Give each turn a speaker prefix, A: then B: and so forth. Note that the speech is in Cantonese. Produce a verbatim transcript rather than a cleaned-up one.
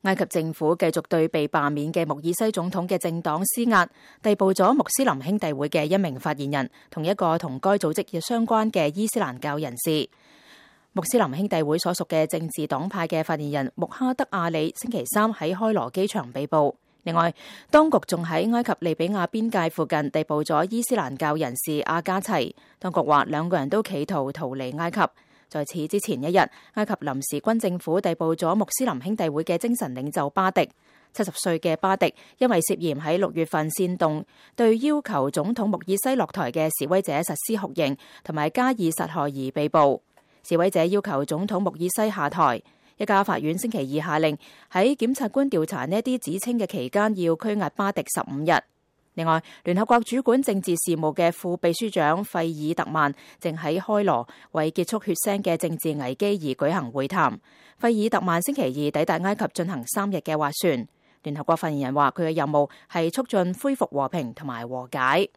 A: 埃及政府繼續對被罷免嘅穆爾西總統嘅政黨施壓，逮捕咗穆斯林兄弟會嘅一名發言人，同一個同該組織相關嘅伊斯蘭教人士。穆斯林兄弟會所屬嘅政治黨派嘅發言人穆哈德阿里星期三喺開羅機場被捕。另外，當局仲喺埃及利比亞邊界附近逮捕咗伊斯蘭教人士阿加齊。當局話兩個人都企圖逃離埃及。在此之前一日，埃及臨時軍政府逮捕咗穆斯林兄弟會嘅精神領袖巴迪。七十歲嘅巴迪因為涉嫌喺六月份煽動對要求總統穆爾西落台嘅示威者實施酷刑同埋加以殺害而被捕。示威者要求總統穆爾西下台。一家法院星期二下令喺檢察官調查呢啲指稱嘅期間要拘押巴迪十五日。另外，聯合國主管政治事務嘅副秘書長費爾特曼正喺開羅為結束血腥嘅政治危機而舉行會談。費爾特曼星期二抵達埃及進行三日嘅斡旋。聯合國發言人話佢嘅任務係促進恢復和平同埋和解。